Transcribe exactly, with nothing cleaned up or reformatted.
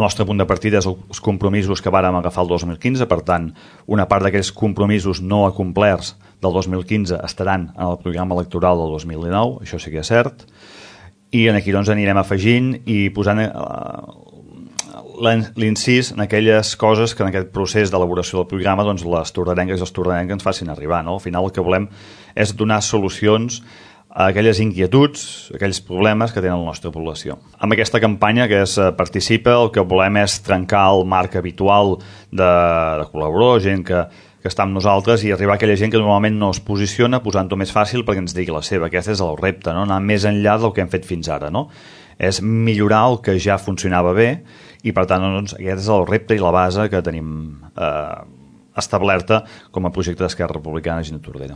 El nostre punt de partida és els compromisos que vàrem agafar el dos mil quinze, per tant, una part d'aquells compromisos no acomplerts del dos mil quinze estaran en el programa electoral del dos mil dinou, això sí que és cert, i aquí doncs anirem afegint i posant eh, l'incís en aquelles coses que en aquest procés d'elaboració del programa doncs, les tordarenques i els tordarencs ens facin arribar. No? Al final el que volem és donar solucions a aquelles inquietuds, aquells problemes que tenen la nostra població. Amb aquesta campanya que és Participa, el que volem és trencar el marc habitual de, de col·laborador, gent que, que està amb nosaltres, i arribar a aquella gent que normalment no es posiciona, posant-ho més fàcil perquè ens digui la seva. Aquest és el repte, no? Anar més enllà del que hem fet fins ara. No? És millorar el que ja funcionava bé i, per tant, doncs, aquest és el repte i la base que tenim eh, establerta com a projecte d'Esquerra Republicana Gent Tordera.